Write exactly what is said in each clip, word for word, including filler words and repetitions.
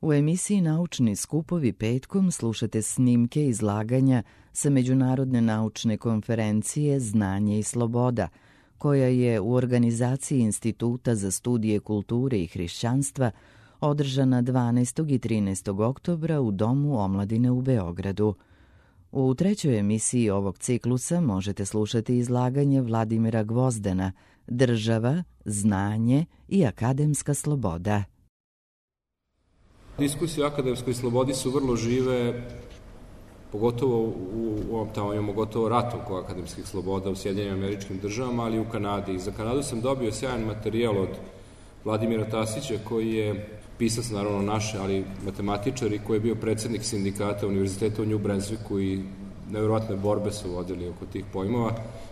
U emisiji Naučni skupovi petkom slušate snimke izlaganja sa Međunarodne naučne konferencije Znanje i sloboda, koja je u organizaciji Instituta za studije kulture i hrišćanstva održana dvanaestog i trinaestog oktobra u Domu omladine u Beogradu. U trećoj emisiji ovog ciklusa možete slušati izlaganje Vladimira Gvozdena Država, znanje i akademska sloboda. Diskusije o akademskoj slobodi su vrlo žive, pogotovo u ovom tamo imamo gotovo rat oko akademskih sloboda u Sjedinjenim Američkim Državama, ali i u Kanadi. I za Kanadu sam dobio sjajan materijal od Vladimira Tasića, koji je pisac, naravno naše, ali matematičar i koji je bio predsednik sindikata Univerziteta u New Brunswicku i nevjerojatne borbe su vodili oko tih pojmova.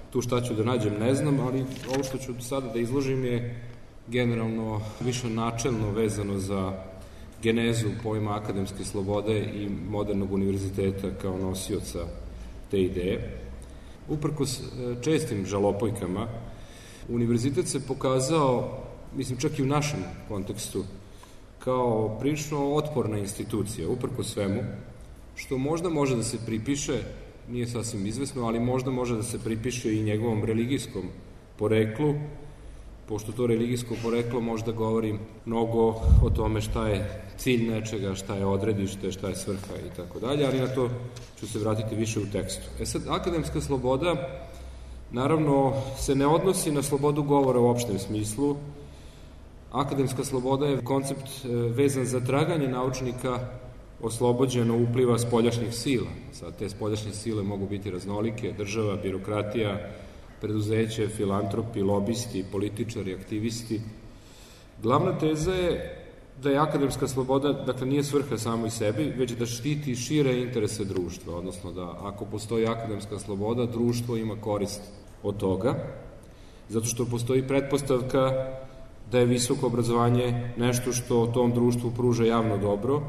Tu šta ću da nađem ne znam, ali ovo što ću sada da izložim je generalno više načelno vezano za genezu pojma akademske slobode i modernog univerziteta kao nosioca te ideje. Uprkos čestim žalopojkama, univerzitet se pokazao, mislim čak i u našem kontekstu, kao prilično otporna institucija, uprkos svemu, što možda može da se pripiše, nije sasvim izvesno, ali možda može da se pripiše i njegovom religijskom poreklu, pošto to religijsko poreklo možda govori mnogo o tome šta je cilj nečega, šta je odredište, šta je svrha i tako dalje, ali na to ću se vratiti više u tekstu. E sad, akademska sloboda naravno se ne odnosi na slobodu govora u opštem smislu. Akademska sloboda je koncept vezan za traganje naučnika oslobođeno upliva spoljašnjih sila. Sad, te spoljašnje sile mogu biti raznolike, država, birokratija, preduzeće, filantropi, lobisti, političari, aktivisti. Glavna teza je da je akademska sloboda, dakle, nije svrha samo i sebi, već da štiti šire interese društva, odnosno da ako postoji akademska sloboda, društvo ima korist od toga, zato što postoji pretpostavka da je visoko obrazovanje nešto što tom društvu pruža javno dobro,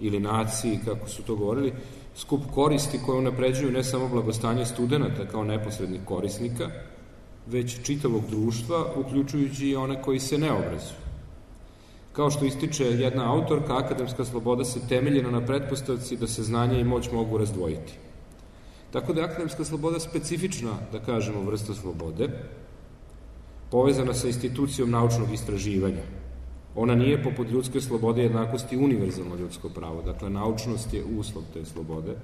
ili naciji, kako su to govorili, skup koristi koje unapređuju ne samo blagostanje studenta kao neposrednih korisnika, već čitavog društva, uključujući i one koji se ne obrazuju. Kao što ističe jedna autorka, akademska sloboda se temeljena na pretpostavci da se znanje i moć mogu razdvojiti. Tako da je akademska sloboda specifična, da kažemo, vrsta slobode, povezana sa institucijom naučnog istraživanja. Ona nije poput ljudske slobode jednakosti univerzalno ljudsko pravo, dakle naučnost je uslov te slobode.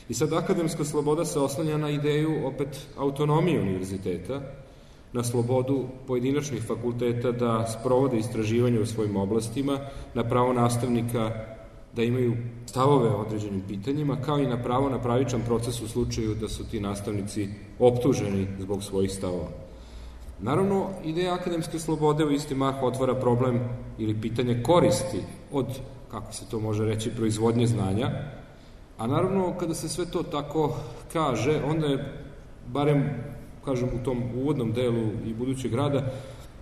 I sad akademska sloboda se oslanja na ideju opet autonomije univerziteta, na slobodu pojedinačnih fakulteta da sprovode istraživanje u svojim oblastima, na pravo nastavnika da imaju stavove o određenim pitanjima, kao i na pravo na pravičan proces u slučaju da su ti nastavnici optuženi zbog svojih stavova. Naravno, ideja akademske slobode u isti mah otvara problem ili pitanje koristi od, kako se to može reći, proizvodnje znanja, a naravno, kada se sve to tako kaže, onda je, barem, kažem, u tom uvodnom delu i budućeg rada,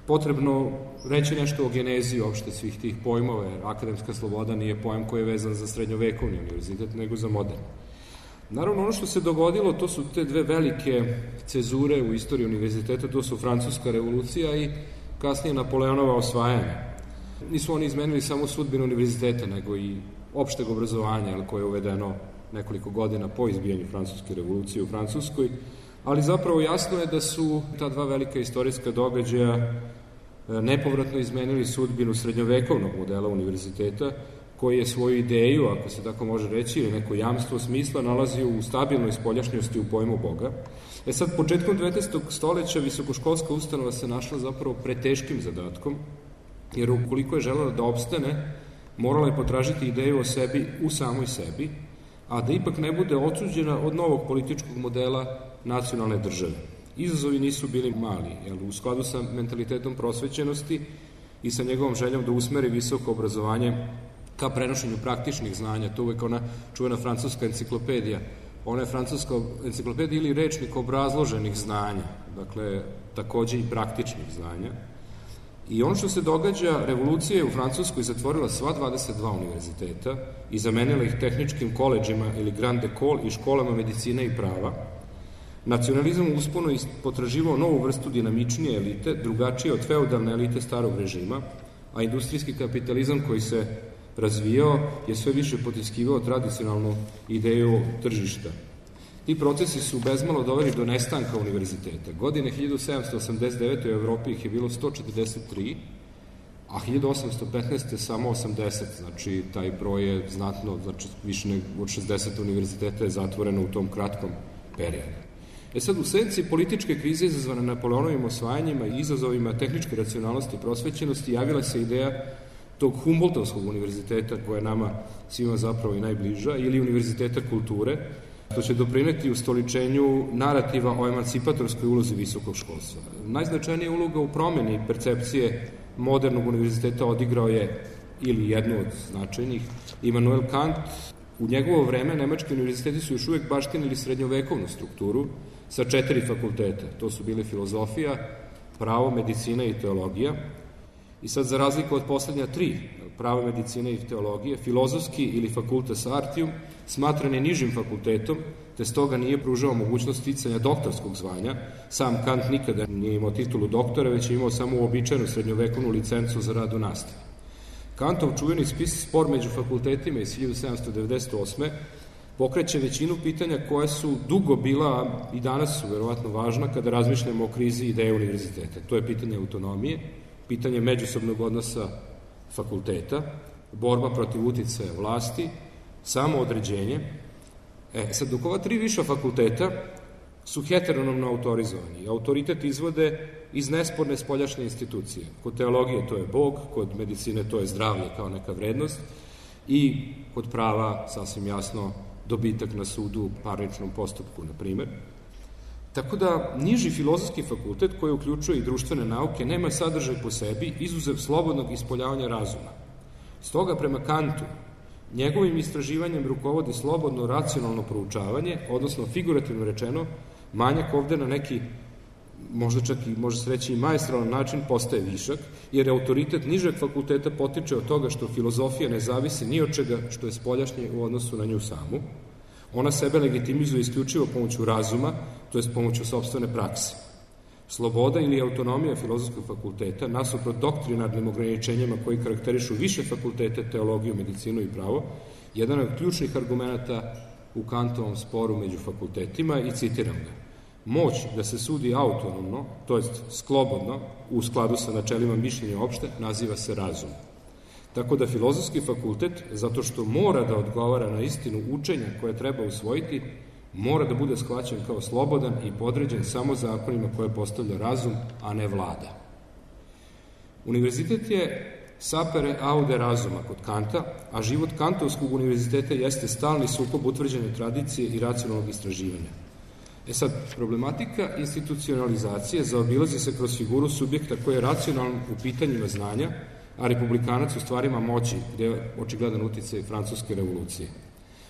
potrebno reći nešto o genezi uopšte svih tih pojmova, jer akademska sloboda nije pojam koji je vezan za srednjovekovni univerzitet, nego za modern. Naravno, ono što se dogodilo, to su te dve velike cezure u istoriji univerziteta, to su Francuska revolucija i kasnije Napoleonova osvajanja. Nisu oni izmenili samo sudbinu univerziteta, nego i opšteg obrazovanja, koje je uvedeno nekoliko godina po izbijanju Francuske revolucije u Francuskoj, ali zapravo jasno je da su ta dva velika istorijska događaja nepovratno izmenili sudbinu srednjovekovnog modela univerziteta, koji je svoju ideju, ako se tako može reći, ili neko jamstvo smisla nalazio u stabilnoj spoljašnjosti u pojmu Boga. E sad, početkom devetnaestog stoleća visokoškolska ustanova se našla zapravo preteškim zadatkom, jer ukoliko je želela da opstane, morala je potražiti ideju o sebi u samoj sebi, a da ipak ne bude otuđena od novog političkog modela nacionalne države. Izazovi nisu bili mali, jer u skladu sa mentalitetom prosvećenosti i sa njegovom željom da usmeri visoko obrazovanje ka prenošenju praktičnih znanja, to uvek ona čuvena francuska enciklopedija. Ona je francuska enciklopedija ili rečnik obrazloženih znanja, dakle, takođe i praktičnih znanja. I ono što se događa, revolucija je u Francuskoj zatvorila sva dvadeset dva univerziteta i zamenila ih tehničkim koleđima ili grande école i školama medicine i prava. Nacionalizam usponu je potraživao novu vrstu dinamičnije elite, drugačije od feudalne elite starog režima, a industrijski kapitalizam koji se razvijao je sve više potiskivao tradicionalnu ideju tržišta. Ti procesi su bezmalo doveli do nestanka univerziteta. Godine hiljadu sedamsto osamdeset devete. u Evropi ih je bilo sto četrdeset tri, a hiljadu osamsto petnaeste. samo osamdeset, znači taj broj je znatno, znači više nego od šezdeset univerziteta je zatvoreno u tom kratkom periodu. E sad, u senci političke krize izazvane Napoleonovim osvajanjima i izazovima tehničke racionalnosti i prosvećenosti javila se ideja tog Humboldtovskog univerziteta koja je nama svima zapravo i najbliža, ili univerziteta kulture, što će doprineti ustoličenju narativa o emancipatorskoj ulozi visokog školstva. Najznačajnija uloga u promeni percepcije modernog univerziteta odigrao je, ili jednu od značajnih, Immanuel Kant. U njegovo vreme nemački univerziteti su još uvek baštinili srednjovekovnu strukturu sa četiri fakulteta. To su bile filozofija, pravo, medicina i teologija. I sad, za razliku od poslednja tri, pravo, medicina i teologije, filozofski ili fakultas artium smatran je nižim fakultetom, te stoga nije pružao mogućnost sticanja doktorskog zvanja. Sam Kant nikada nije imao titulu doktora, već je imao samo uobičajenu srednjovekovnu licencu za rad u nastavi. Kantov čuveni spis Spor među fakultetima iz hiljadu sedamsto devedeset osme. pokreće većinu pitanja koja su dugo bila i danas su verovatno važna kada razmišljamo o krizi ideje univerziteta. To je pitanje autonomije, pitanje međusobnog odnosa fakulteta, borba protiv uticaja vlasti, samoodređenje. E, sad, dok ova tri viša fakulteta su heteronomno autorizovani. Autoritet izvode iz nesporne spoljašnje institucije. Kod teologije to je Bog, kod medicine to je zdravlje kao neka vrednost i kod prava, sasvim jasno, dobitak na sudu u parničnom postupku, na primer. Tako da, niži filozofski fakultet, koji uključuje i društvene nauke, nema sadržaj po sebi, izuzev slobodnog ispoljavanja razuma. Stoga, prema Kantu, njegovim istraživanjem rukovodi slobodno racionalno proučavanje, odnosno figurativno rečeno, manjak ovde na neki, možda čak i može se reći i maestralan način, postaje višak, jer autoritet nižeg fakulteta potiče od toga što filozofija ne zavisi ni od čega što je spoljašnje u odnosu na nju samu. Ona sebe legitimizuje isključivo pomoću razuma, to je pomoću sopstvene prakse. Sloboda ili autonomija filozofskog fakulteta, nasuprot doktrinarnim ograničenjima koji karakterišu više fakultete, teologiju, medicinu i pravo, jedan od ključnih argumenta u Kantovom sporu među fakultetima i citiram ga. Moć da se sudi autonomno, to jest slobodno, u skladu sa načelima mišljenja opšte, naziva se razum. Tako da filozofski fakultet, zato što mora da odgovara na istinu učenja koje treba usvojiti, mora da bude shvaćen kao slobodan i podređen samo zakonima koje postavlja razum, a ne vlada. Univerzitet je sapere aude razuma kod Kanta, a život Kantovskog univerziteta jeste stalni sukob utvrđene tradicije i racionalnog istraživanja. E sad, problematika institucionalizacije zaobilazi se kroz figuru subjekta koji je racionalan u pitanjima znanja, a republikanac u stvarima moći, gde je očigledan uticaj francuske revolucije.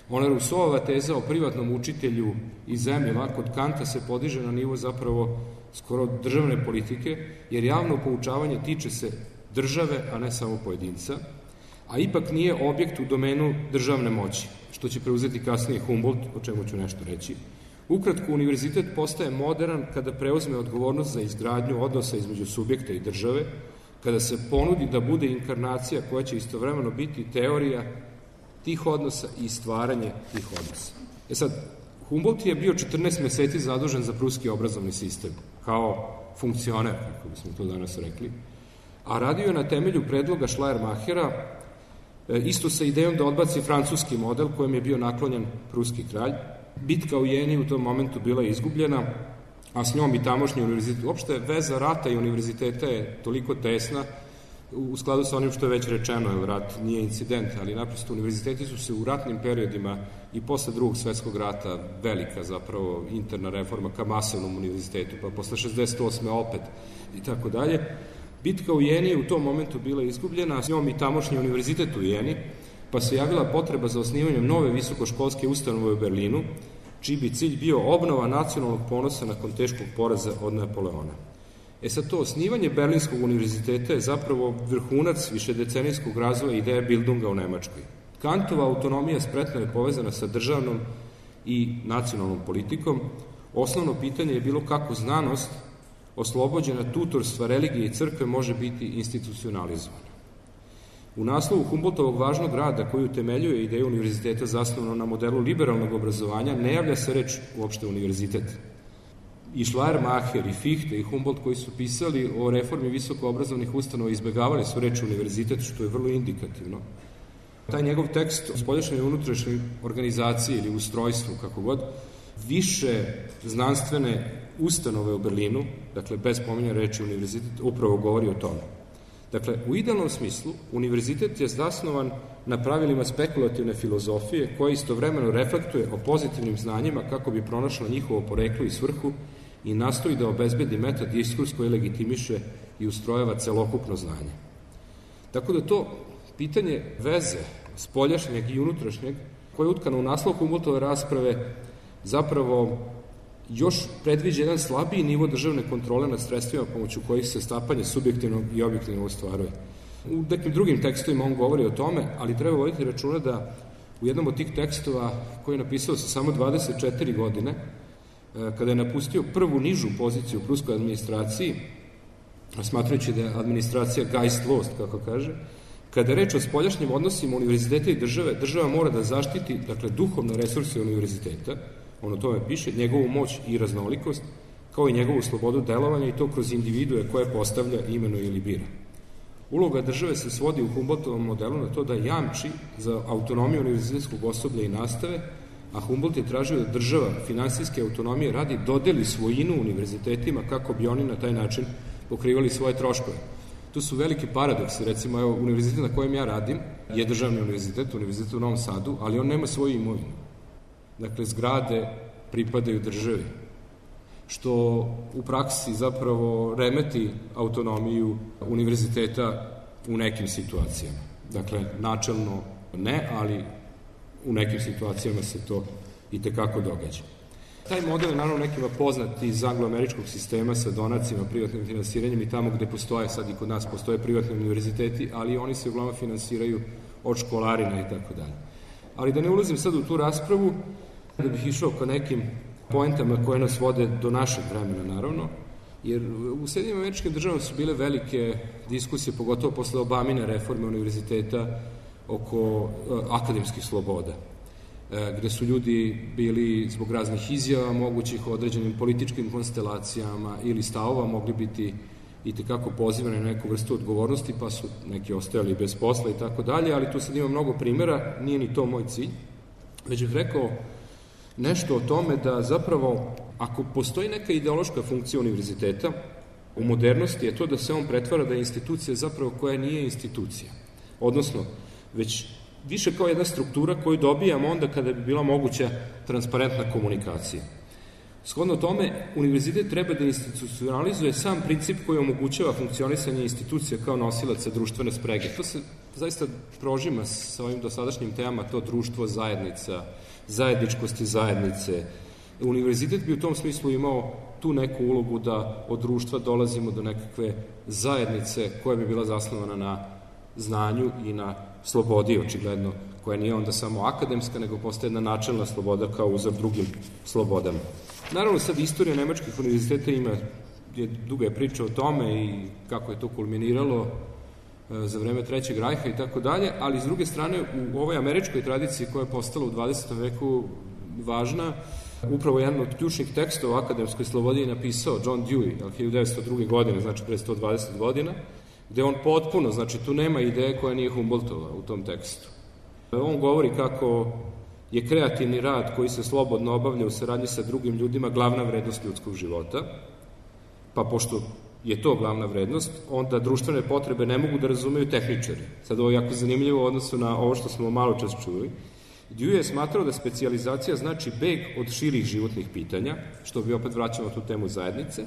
Ona Rousseauova teza o privatnom učitelju i zemljama kod Kanta se podiže na nivo zapravo skoro državne politike, jer javno poučavanje tiče se države, a ne samo pojedinca, a ipak nije objekt u domenu državne moći, što će preuzeti kasnije Humboldt, o čemu ću nešto reći. Ukratko, univerzitet postaje modern kada preuzme odgovornost za izgradnju odnosa između subjekta i države, kada se ponudi da bude inkarnacija koja će istovremeno biti teorija tih odnosa i stvaranje tih odnosa. E sad, Humboldt je bio četrnaest meseci zadužen za pruski obrazovni sistem, kao funkcioner, kako bismo to danas rekli, a radio je na temelju predloga Schleiermachera, isto sa idejom da odbaci francuski model kojem je bio naklonjen pruski kralj. Bitka u Jeni u tom momentu bila izgubljena, a s njom i tamošnji univerzitet. Uopšte, veza rata i univerziteta je toliko tesna, u skladu sa onim što je već rečeno, jer rat nije incident, ali naprosto univerziteti su se u ratnim periodima i posle drugog svetskog rata, velika zapravo interna reforma ka masovnom univerzitetu, pa posle šezdeset osme opet i tako dalje. Bitka u Jeni je u tom momentu bila izgubljena, a s njom i tamošnji univerzitet u Jeni, pa se javila potreba za osnivanjem nove visokoškolske ustanove u Berlinu, čiji bi cilj bio obnova nacionalnog ponosa nakon teškog poraza od Napoleona. E sad, to osnivanje Berlinskog univerziteta je zapravo vrhunac višedecenijskog razvoja ideje Bildunga u Nemačkoj. Kantova autonomija spretno je povezana sa državnom i nacionalnom politikom. Osnovno pitanje je bilo kako znanost, oslobođena tutorstva religije i crkve, može biti institucionalizovana. U naslovu Humboldtovog važnog rada koji utemeljuje ideju univerziteta zasnovano na modelu liberalnog obrazovanja ne javlja se reč uopšte univerzitet. I Schleiermacher, i Fichte, i Humboldt koji su pisali o reformi visokoobrazovnih ustanova izbegavali su reč univerzitet, što je vrlo indikativno. Taj njegov tekst o spoljašnjoj i unutrašnjoj organizaciji ili ustrojstvu, kako god, više znanstvene ustanove u Berlinu, dakle bez pominjanja reči univerzitet, upravo govori o tome. Dakle, u idealnom smislu, univerzitet je zasnovan na pravilima spekulativne filozofije koja istovremeno reflektuje o pozitivnim znanjima kako bi pronašla njihovo poreklo i svrhu i nastoji da obezbedi meta diskurs koji legitimiše i ustrojava celokupno znanje. Tako da to pitanje veze spoljašnjeg i unutrašnjeg, koje je utkano u naslov Humboldtove rasprave, zapravo još predviđa jedan slabiji nivo državne kontrole nad sredstvima pomoću kojih se stapanje subjektivnog i objektivnog ostvaruje. U nekim drugim tekstovima on govori o tome, ali treba voditi računa da u jednom od tih tekstova koji je napisao sa samo dvadeset četiri godine, kada je napustio prvu nižu poziciju u pruskoj administraciji, smatrajući da je administracija Geistlost, kako kaže, kada je reč o spoljašnjim odnosima univerziteta i države, država mora da zaštiti, dakle, duhovne resurse univerziteta, on o tome piše, njegovu moć i raznolikost, kao i njegovu slobodu delovanja i to kroz individue koje postavlja, imenuje ili bira. Uloga države se svodi u Humboldtovom modelu na to da jamči za autonomiju univerzitetskog osoblja i nastave, a Humboldt je tražio da država finansijske autonomije radi dodeli svojinu univerzitetima kako bi oni na taj način pokrivali svoje troškove. Tu su veliki paradoksi, recimo, evo, univerzitet na kojem ja radim je državni univerzitet, univerzitet u Novom Sadu, ali on nema svoju imovinu. Dakle, zgrade pripadaju državi, što u praksi zapravo remeti autonomiju univerziteta u nekim situacijama. Dakle, načelno ne, ali u nekim situacijama se to i tekako događa. Taj model je naravno nekima poznat iz angloameričkog sistema sa donacima, privatnim finansiranjem i tamo gde postoje, sad i kod nas postoje privatni univerziteti, ali oni se uglavnom finansiraju od školarina i tako dalje. Ali da ne ulazim sad u tu raspravu, da bih išao ka nekim poentama koje nas vode do našeg vremena, naravno, jer u Sjedinjenim Američkim Državama su bile velike diskusije, pogotovo posle Obamine reforme univerziteta oko akademskih sloboda, gde su ljudi bili zbog raznih izjava, mogućih određenim političkim konstelacijama ili stavova mogli biti i tekako pozivani na neku vrstu odgovornosti, pa su neki ostajali bez posla i tako dalje, ali tu sad ima mnogo primjera, nije ni to moj cilj. Već bih rekao nešto o tome da zapravo, ako postoji neka ideološka funkcija univerziteta, u modernosti je to da se on pretvara da je institucija zapravo koja nije institucija. Odnosno, već više kao jedna struktura koju dobijamo onda kada bi bila moguća transparentna komunikacija. Shodno tome, univerzitet treba da institucionalizuje sam princip koji omogućava funkcionisanje institucija kao nosilaca društvene sprege. To se zaista prožima sa ovim dosadašnjim temama, to društvo, zajednica, zajedničkosti zajednice. Univerzitet bi u tom smislu imao tu neku ulogu da od društva dolazimo do nekakve zajednice koja bi bila zasnovana na znanju i na slobodi, očigledno, koja nije onda samo akademska, nego postaje jedna načelna sloboda kao uzor drugim slobodama. Naravno, sad istorija nemačkih univerziteta ima, je duga je priča o tome i kako je to kulminiralo za vreme Trećeg rajha i tako dalje, ali s druge strane u ovoj američkoj tradiciji koja je postala u dvadesetom veku važna, upravo jedan od ključnih tekstova o akademskoj slobodi je napisao John Dewey, hiljadu devetsto druge. godine, znači pre sto dvadeset godina, gde on potpuno, znači tu nema ideje koja nije Humboldtova u tom tekstu. On govori kako je kreativni rad koji se slobodno obavlja u saradnji sa drugim ljudima glavna vrednost ljudskog života, pa pošto je to glavna vrednost, onda društvene potrebe ne mogu da razumeju tehničari. Sad ovo je jako zanimljivo u odnosu na ovo što smo malo čas čuli. Dewey je smatrao da specijalizacija znači beg od širih životnih pitanja, što bi opet vraćamo tu temu zajednice.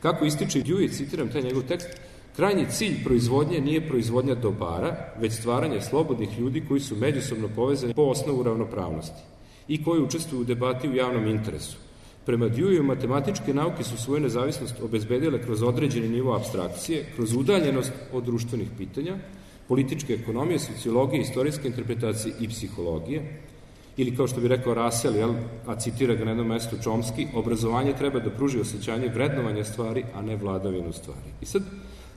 Kako ističe Dewey, citiram taj njegov tekst, krajnji cilj proizvodnje nije proizvodnja dobara, već stvaranje slobodnih ljudi koji su međusobno povezani po osnovu ravnopravnosti i koji učestvuju u debati u javnom interesu. Prema Deweyu, matematičke nauke su svoju nezavisnost obezbedile kroz određeni nivo apstrakcije, kroz udaljenost od društvenih pitanja, političke ekonomije, sociologije, istorijske interpretacije i psihologije, ili kao što bi rekao Russell, jel, a citira ga na jednom mestu Chomsky, obrazovanje treba da pruži osjećanje vrednovanja stvari, a ne vladavinu stvari. I sad,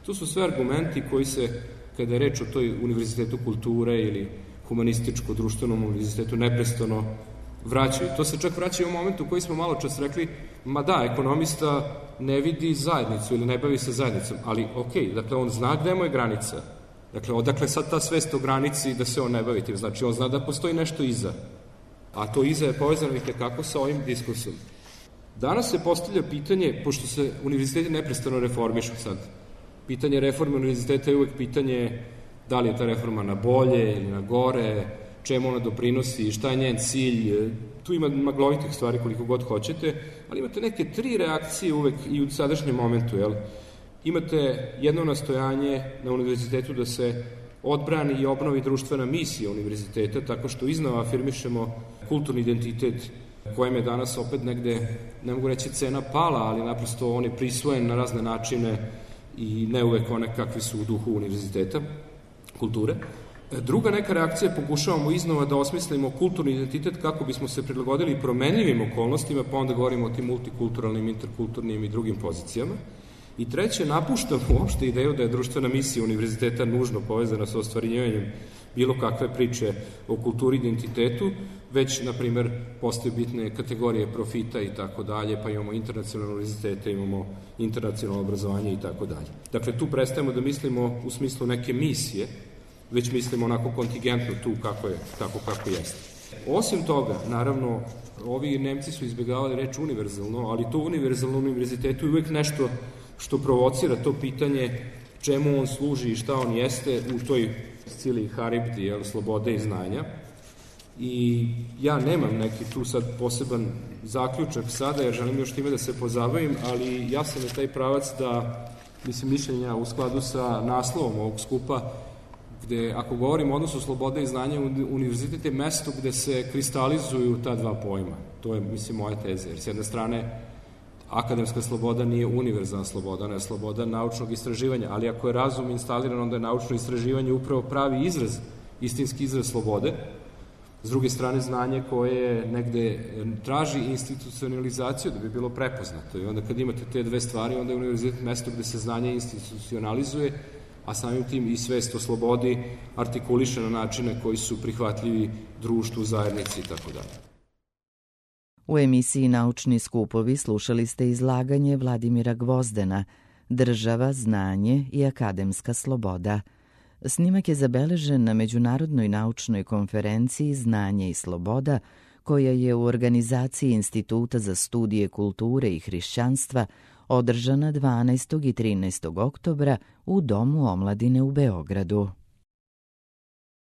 to su sve argumenti koji se kada je reč o toj univerzitetu kulture ili humanističko-društvenom univerzitetu, neprestano vraćaju. To se čak vraća u momentu u koji smo malo čas rekli, ma da, ekonomista ne vidi zajednicu ili ne bavi se zajednicom, ali ok, dakle, on zna gde mu je granica. Dakle, odakle sad ta svest o granici da se on ne bavi tim? Znači, on zna da postoji nešto iza, a to iza je povezano i tekako sa ovim diskursom. Danas se postavlja pitanje, pošto se univerziteti neprestano reformišu sad, pitanje reforme univerziteta je uvek pitanje da li je ta reforma na bolje ili na gore, čemu ona doprinosi, šta je njen cilj. Tu ima maglovitih stvari koliko god hoćete, ali imate neke tri reakcije uvek i u sadašnjem momentu. Jel? Imate jedno nastojanje na univerzitetu da se odbrani i obnovi društvena misija univerziteta tako što iznova afirmišemo kulturni identitet kojem je danas opet negde, ne mogu reći cena pala, ali naprosto on je prisvojen na razne načine i ne uvek one kakvi su u duhu univerziteta, kulture. Druga neka reakcija, pokušavamo iznova da osmislimo kulturni identitet kako bismo se prilagodili promenljivim okolnostima, pa onda govorimo o tim multikulturalnim, interkulturnim i drugim pozicijama. I treće, napuštamo uopšte ideju da je društvena misija univerziteta nužno povezana sa ostvarivanjem bilo kakve priče o kulturi i identitetu, već, na primer, postoje bitne kategorije profita i tako dalje, pa imamo internacionalne univerzitete, imamo internacionalno obrazovanje i tako dalje. Dakle, tu prestajemo da mislimo u smislu neke misije, već mislimo onako kontingentno tu kako je, tako kako jeste. Osim toga, naravno, ovi Nemci su izbjegavali reč univerzalno, ali to univerzalno univerzitetu je uvek nešto što provocira to pitanje čemu on služi i šta on jeste u toj scili Haribdi, jel, slobode i znanja. I ja nemam neki tu sad poseban zaključak sada, jer želim još time da se pozabavim, ali ja sam na taj pravac da, mislim, mišljenja u skladu sa naslovom ovog skupa, gde, ako govorimo o odnosu slobode i znanja, univerzitet je mesto gde se kristalizuju ta dva pojma. To je, mislim, moja teza, jer s jedne strane akademska sloboda nije univerzalna sloboda, ona je sloboda naučnog istraživanja, ali ako je razum instaliran, onda je naučno istraživanje upravo pravi izraz, istinski izraz slobode. S druge strane, znanje koje negde traži institucionalizaciju da bi bilo prepoznato. I onda kad imate te dve stvari, onda je univerzitet mesto gde se znanje institucionalizuje, a samim tim i svest o slobodi artikuliše na načine koji su prihvatljivi društvu, zajednici i tako dalje. U emisiji Naučni skupovi slušali ste izlaganje Vladimira Gvozdena Država, znanje i akademska sloboda. Snimak je zabeležen na Međunarodnoj naučnoj konferenciji Znanje i sloboda, koja je u organizaciji Instituta za studije kulture i hrišćanstva održana dvanaestog i trinaestog oktobra u Domu omladine u Beogradu.